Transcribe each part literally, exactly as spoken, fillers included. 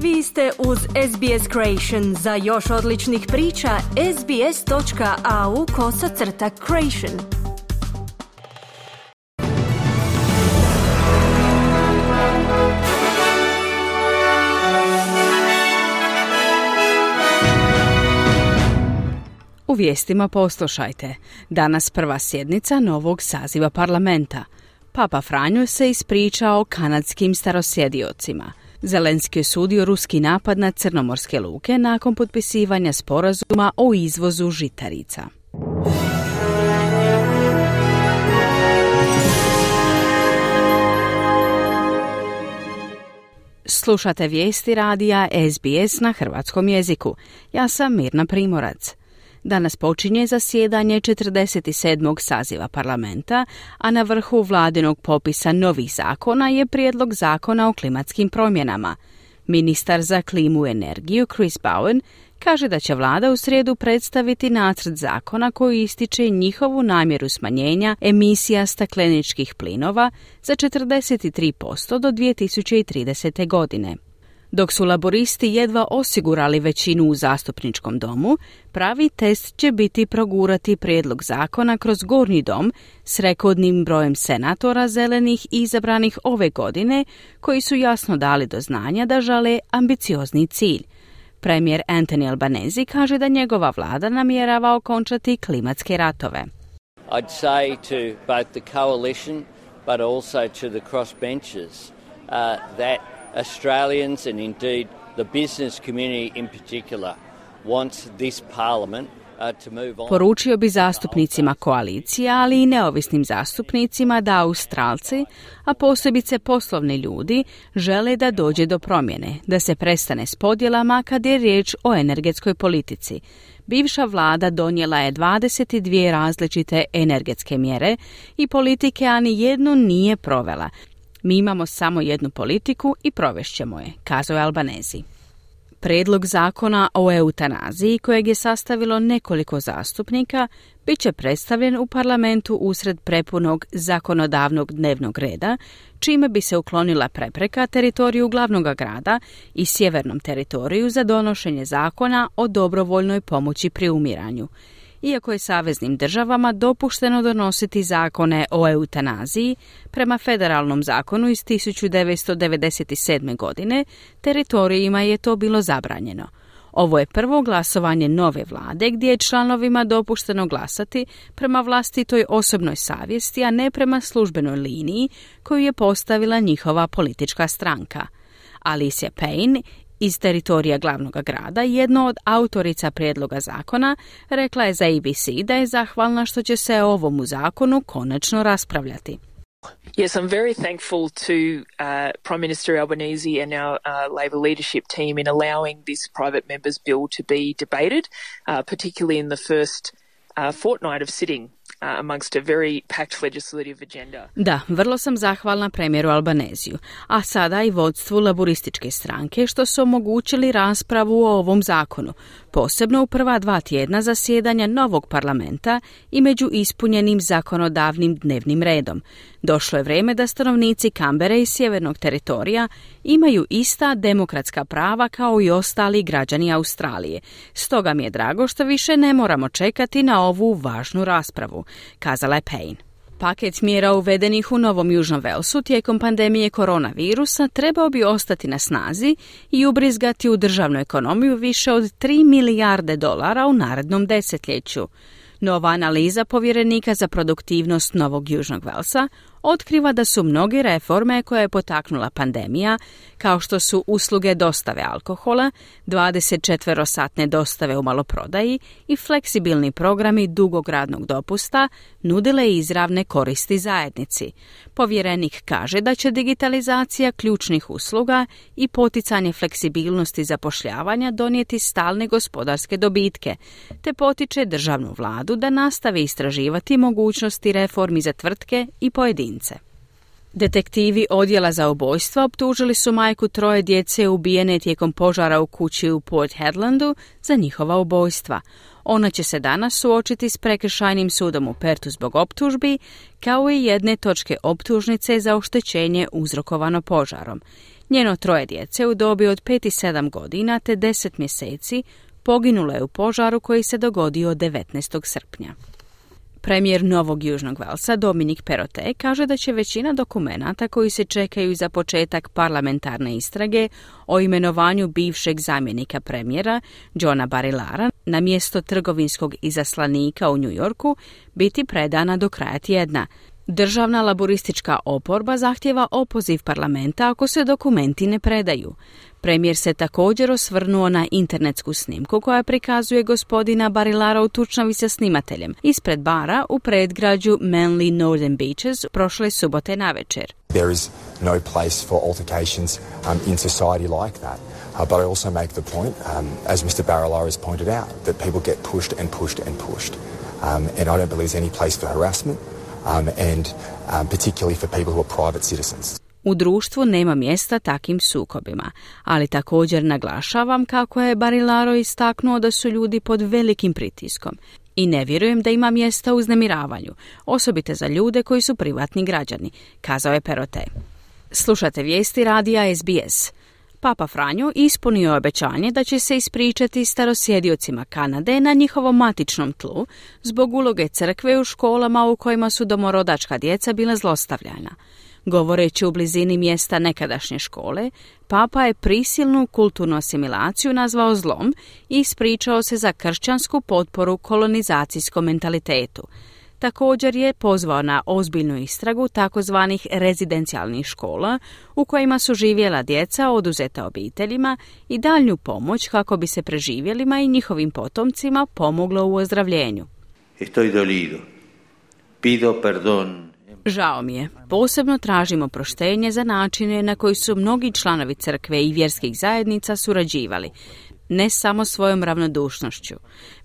Vi ste uz S B S Creation. Za još odličnih priča, sbs.au kosacrta creation. U vijestima poslušajte. Danas prva sjednica novog saziva parlamenta. Papa Franjo se ispričao kanadskim starosjediocima. Zelenski osudio ruski napad na crnomorske luke nakon potpisivanja sporazuma o izvozu žitarica. Slušate vijesti radija S B S na hrvatskom jeziku. Ja sam Mirna Primorac. Danas počinje zasjedanje četrdeset sedmog saziva parlamenta, a na vrhu vladinog popisa novih zakona je prijedlog zakona o klimatskim promjenama. Ministar za klimu i energiju Chris Bowen kaže da će vlada u srijedu predstaviti nacrt zakona koji ističe njihovu namjeru smanjenja emisija stakleničkih plinova za četrdeset tri posto do dvije tisuće tridesete. godine. Dok su laboristi jedva osigurali većinu u zastupničkom domu, pravi test će biti progurati prijedlog zakona kroz gornji dom s rekordnim brojem senatora zelenih izabranih ove godine, koji su jasno dali do znanja da žele ambiciozni cilj. Premijer Anthony Albanese kaže da njegova vlada namjerava okončati klimatske ratove. I'd say to both the coalition but also to the crossbenchers uh, that Australians and indeed the business community in particular wants this parliament uh, to move on. Poručio bi zastupnicima koalicije, ali i neovisnim zastupnicima da Australci, a posebice poslovni ljudi, žele da dođe do promjene, da se prestane s podjelama kad je riječ o energetskoj politici. Bivša vlada donijela je dvadeset dvije različite energetske mjere i politike, a ni jednu nije provela. Mi imamo samo jednu politiku i provešćemo je, kazao je Albanese. Prijedlog zakona o eutanaziji, kojeg je sastavilo nekoliko zastupnika, bit će predstavljen u parlamentu usred prepunog zakonodavnog dnevnog reda, čime bi se uklonila prepreka teritoriju glavnog grada i sjevernom teritoriju za donošenje zakona o dobrovoljnoj pomoći pri umiranju. Iako je saveznim državama dopušteno donositi zakone o eutanaziji, prema federalnom zakonu iz tisuću devetsto devedeset sedme. godine, teritorijima je to bilo zabranjeno. Ovo je prvo glasovanje nove vlade gdje je članovima dopušteno glasati prema vlastitoj osobnoj savjesti, a ne prema službenoj liniji koju je postavila njihova politička stranka. Alicia Payne iz teritorija glavnog grada, jedno od autorica prijedloga zakona, rekla je za A B C da je zahvalna što će se o ovom zakonu konačno raspravljati. Yes, I'm very thankful to uh, Prime Minister Albanese and our uh, Labor leadership team in allowing this private members bill to be debated, uh, particularly in the first uh, fortnight of sitting. Uh, amongst a very packed legislative agenda. Da, vrlo sam zahvalna premijeru Albanesiju, a sada i vodstvu laborističke stranke što su omogućili raspravu o ovom zakonu, posebno u prva dva tjedna zasjedanja novog parlamenta i među ispunjenim zakonodavnim dnevnim redom. Došlo je vrijeme da stanovnici Kambere i sjevernog teritorija imaju ista demokratska prava kao i ostali građani Australije. Stoga mi je drago što više ne moramo čekati na ovu važnu raspravu, kazala je Payne. Paket mjera uvedenih u Novom Južnom Velsu tijekom pandemije koronavirusa trebao bi ostati na snazi i ubrizgati u državnu ekonomiju više od tri milijarde dolara u narednom desetljeću. Nova analiza povjerenika za produktivnost Novog Južnog Velsa otkriva da su mnoge reforme koje je potaknula pandemija, kao što su usluge dostave alkohola, dvadesetčetverosatne dostave u maloprodaji i fleksibilni programi dugog radnog dopusta, nudile izravne koristi zajednici. Povjerenik kaže da će digitalizacija ključnih usluga i poticanje fleksibilnosti zapošljavanja donijeti stalne gospodarske dobitke, te potiče državnu vladu da nastavi istraživati mogućnosti reformi za tvrtke i pojedince. Detektivi odjela za ubojstva optužili su majku troje djece ubijene tijekom požara u kući u Port Hedlandu za njihova ubojstva. Ona će se danas suočiti s prekršajnim sudom u Pertu zbog optužbi, kao i jedne točke optužnice za oštećenje uzrokovano požarom. Njeno troje djece u dobi od pet i sedam godina te deset mjeseci poginulo je u požaru koji se dogodio devetnaestog srpnja. Premijer Novog Južnog Velsa Dominic Perrottet kaže da će većina dokumenata koji se čekaju za početak parlamentarne istrage o imenovanju bivšeg zamjenika premijera Johna Barilara na mjesto trgovinskog izaslanika u New Yorku biti predana do kraja tjedna. Državna laboristička oporba zahtjeva opoziv parlamenta ako se dokumenti ne predaju. Premijer se također osvrnuo na internetsku snimku koja prikazuje gospodina Barilara u tučnavi sa snimateljem ispred bara u predgrađu Manly Northern Beaches prošle subote navečer. There is no place for altercations um, in society like that. Uh, but I also make the point, um, as Mister Barilar has pointed out, that people get pushed and pushed and pushed. Um, and I don't believe there's any place for harassment. Um, and um, particularly for people who are private citizens. U društvu nema mjesta takim sukobima, ali također naglašavam kako je Barilaro istaknuo da su ljudi pod velikim pritiskom i ne vjerujem da ima mjesta uznemiravanju, osobito za ljude koji su privatni građani, kazao je Perrottet. Slušate vijesti radija S B S. Papa Franjo ispunio obećanje da će se ispričati starosjediocima Kanade na njihovom matičnom tlu zbog uloge crkve u školama u kojima su domorodačka djeca bila zlostavljana. Govoreći u blizini mjesta nekadašnje škole, Papa je prisilnu kulturnu asimilaciju nazvao zlom i ispričao se za kršćansku potporu kolonizacijskom mentalitetu. Također je pozvao na ozbiljnu istragu takozvanih rezidencijalnih škola u kojima su živjela djeca oduzeta obiteljima i daljnju pomoć kako bi se preživjelima i njihovim potomcima pomoglo u ozdravljenju. Estoy dolido. Pido perdón. Žao mi je. Posebno tražimo proštenje za načine na koji su mnogi članovi crkve i vjerskih zajednica surađivali, ne samo svojom ravnodušnošću,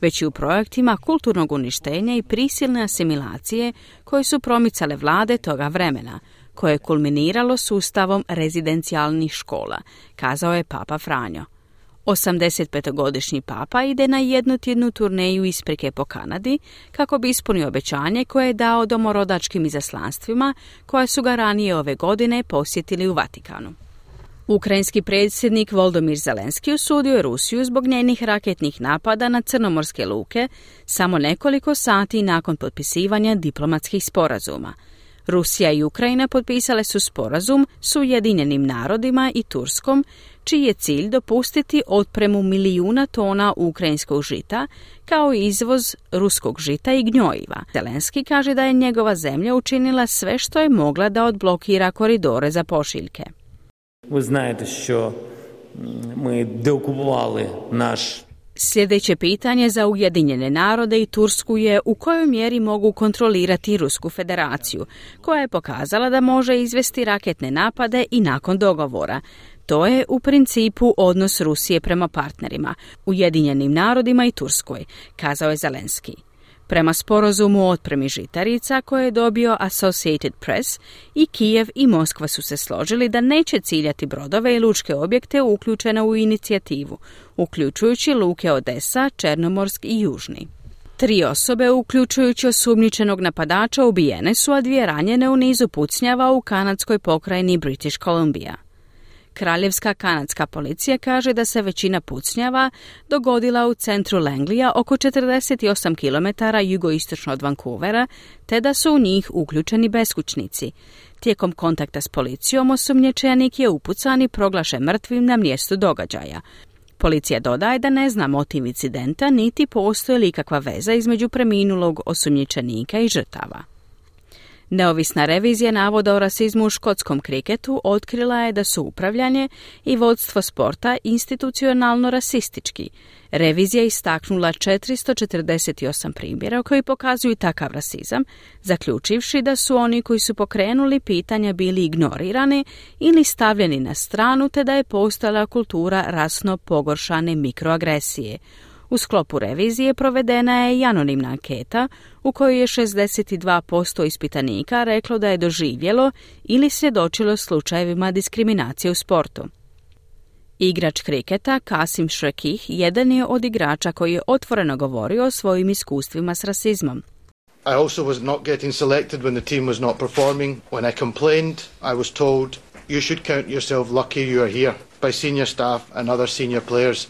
već i u projektima kulturnog uništenja i prisilne asimilacije koje su promicale vlade toga vremena, koje je kulminiralo sustavom rezidencijalnih škola, kazao je Papa Franjo. osamdesetpetogodišnji papa ide na jednotjednu turneju isprike po Kanadi kako bi ispunio obećanje koje je dao domorodačkim izaslanstvima koja su ga ranije ove godine posjetili u Vatikanu. Ukrajinski predsjednik Volodymyr Zelenski osudio je Rusiju zbog njenih raketnih napada na crnomorske luke samo nekoliko sati nakon potpisivanja diplomatskih sporazuma. Rusija i Ukrajina potpisale su sporazum s Ujedinjenim narodima i Turskom, čiji je cilj dopustiti otpremu milijuna tona ukrajinskog žita, kao i izvoz ruskog žita i gnojiva. Zelenski kaže da je njegova zemlja učinila sve što je mogla da odblokira koridore za pošiljke. Ви знаєте, що ми деокупували наш. Sljedeće pitanje za Ujedinjene narode i Tursku je u kojoj mjeri mogu kontrolirati Rusku federaciju, koja je pokazala da može izvesti raketne napade i nakon dogovora. To je u principu odnos Rusije prema partnerima, Ujedinjenim narodima i Turskoj, kazao je Zelenski. Prema sporazumu o otpremi žitarica koje je dobio Associated Press, i Kijev i Moskva su se složili da neće ciljati brodove i lučke objekte uključene u inicijativu, uključujući luke Odesa, Černomorsk i Južni. Tri osobe, uključujući osumnjičenog napadača, ubijene su, a dvije ranjene u nizu pucnjava u kanadskoj pokrajini British Columbia. Kraljevska kanadska policija kaže da se većina pucnjava dogodila u centru Langleyja, oko četrdeset osam kilometara jugoistočno od Vancouvera, te da su u njih uključeni beskućnici. Tijekom kontakta s policijom osumnjičenik je upucan i proglašen mrtvim na mjestu događaja. Policija dodaje da ne zna motiv incidenta niti postoji li ikakva veza između preminulog osumnjičenika i žrtava. Neovisna revizija navoda o rasizmu u škotskom kriketu otkrila je da su upravljanje i vodstvo sporta institucionalno rasistički. Revizija istaknula četiristo četrdeset osam primjera koji pokazuju takav rasizam, zaključivši da su oni koji su pokrenuli pitanja bili ignorirani ili stavljeni na stranu, te da je postojala kultura rasno pogoršane mikroagresije. U sklopu revizije provedena je i anonimna anketa u kojoj je šezdeset dva posto ispitanika reklo da je doživjelo ili svjedočilo slučajevima diskriminacije u sportu. Igrač kriketa Kasim Shrekih jedan je od igrača koji je otvoreno govorio o svojim iskustvima s rasizmom. I also was not getting selected when the team was not performing. When I complained, I was told you should count yourself lucky you are here. By senior staff and other senior players.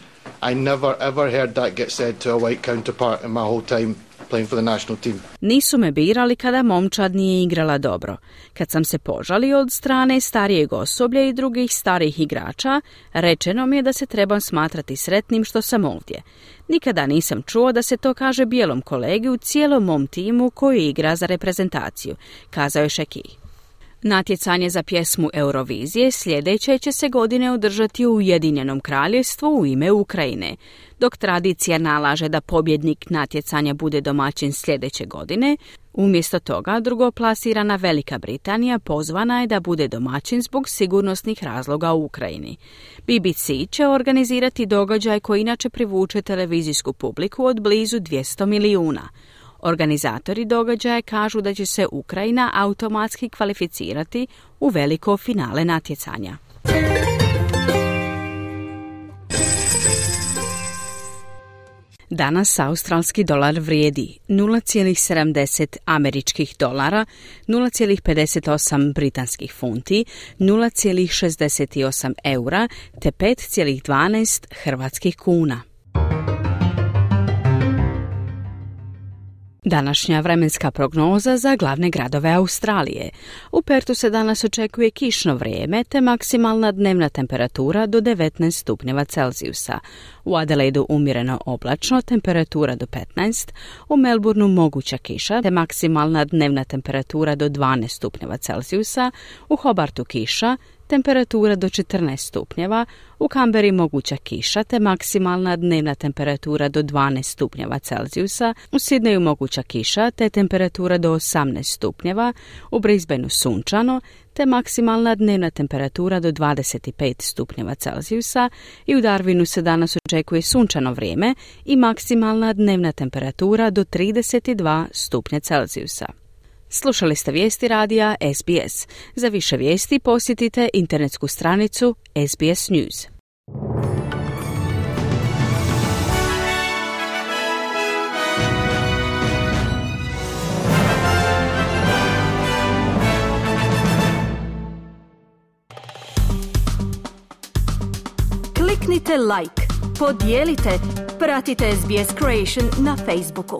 I never ever heard that get said to a white counterpart in my whole time playing for the national team. Nisu me birali kada momčad nije igrala dobro. Kad sam se požalio od strane starijeg osoblja i drugih starijih igrača, rečeno mi je da se trebam smatrati sretnim što sam ovdje. Nikada nisam čuo da se to kaže bijelom kolegi u cijelom mom timu koji igra za reprezentaciju, kazao je Šeki. Natjecanje za pjesmu Eurovizije sljedeće će se godine održati u Ujedinjenom kraljevstvu u ime Ukrajine. Dok tradicija nalaže da pobjednik natjecanja bude domaćin sljedeće godine, umjesto toga drugoplasirana Velika Britanija pozvana je da bude domaćin zbog sigurnosnih razloga u Ukrajini. B B C će organizirati događaj koji inače privuče televizijsku publiku od blizu dvjesto milijuna. Organizatori događaja kažu da će se Ukrajina automatski kvalificirati u veliko finale natjecanja. Danas australski dolar vrijedi nula zarez sedamdeset američkih dolara, nula zarez pedeset osam britanskih funti, nula zarez šezdeset osam eura te pet zarez dvanaest hrvatskih kuna. Današnja vremenska prognoza za glavne gradove Australije. U Pertu se danas očekuje kišno vrijeme te maksimalna dnevna temperatura do devetnaest stupnjeva Celzijusa. U Adelaidu umjereno oblačno, temperatura do petnaest, u Melbourneu moguća kiša te maksimalna dnevna temperatura do dvanaest stupnjeva Celzijusa, u Hobartu kiša, temperatura do četrnaest stupnjeva, u Kamberi moguća kiša te maksimalna dnevna temperatura do dvanaest stupnjeva Celzijusa, u Sidneju moguća kiša te temperatura do osamnaest stupnjeva, u Brisbaneu sunčano te maksimalna dnevna temperatura do dvadeset pet stupnjeva Celzijusa i u Darwinu se danas očekuje sunčano vrijeme i maksimalna dnevna temperatura do trideset dva stupnja Celzijusa. Slušali ste vijesti radija S B S. Za više vijesti posjetite internetsku stranicu S B S News. Kliknite like, podijelite, pratite S B S Creation na Facebooku.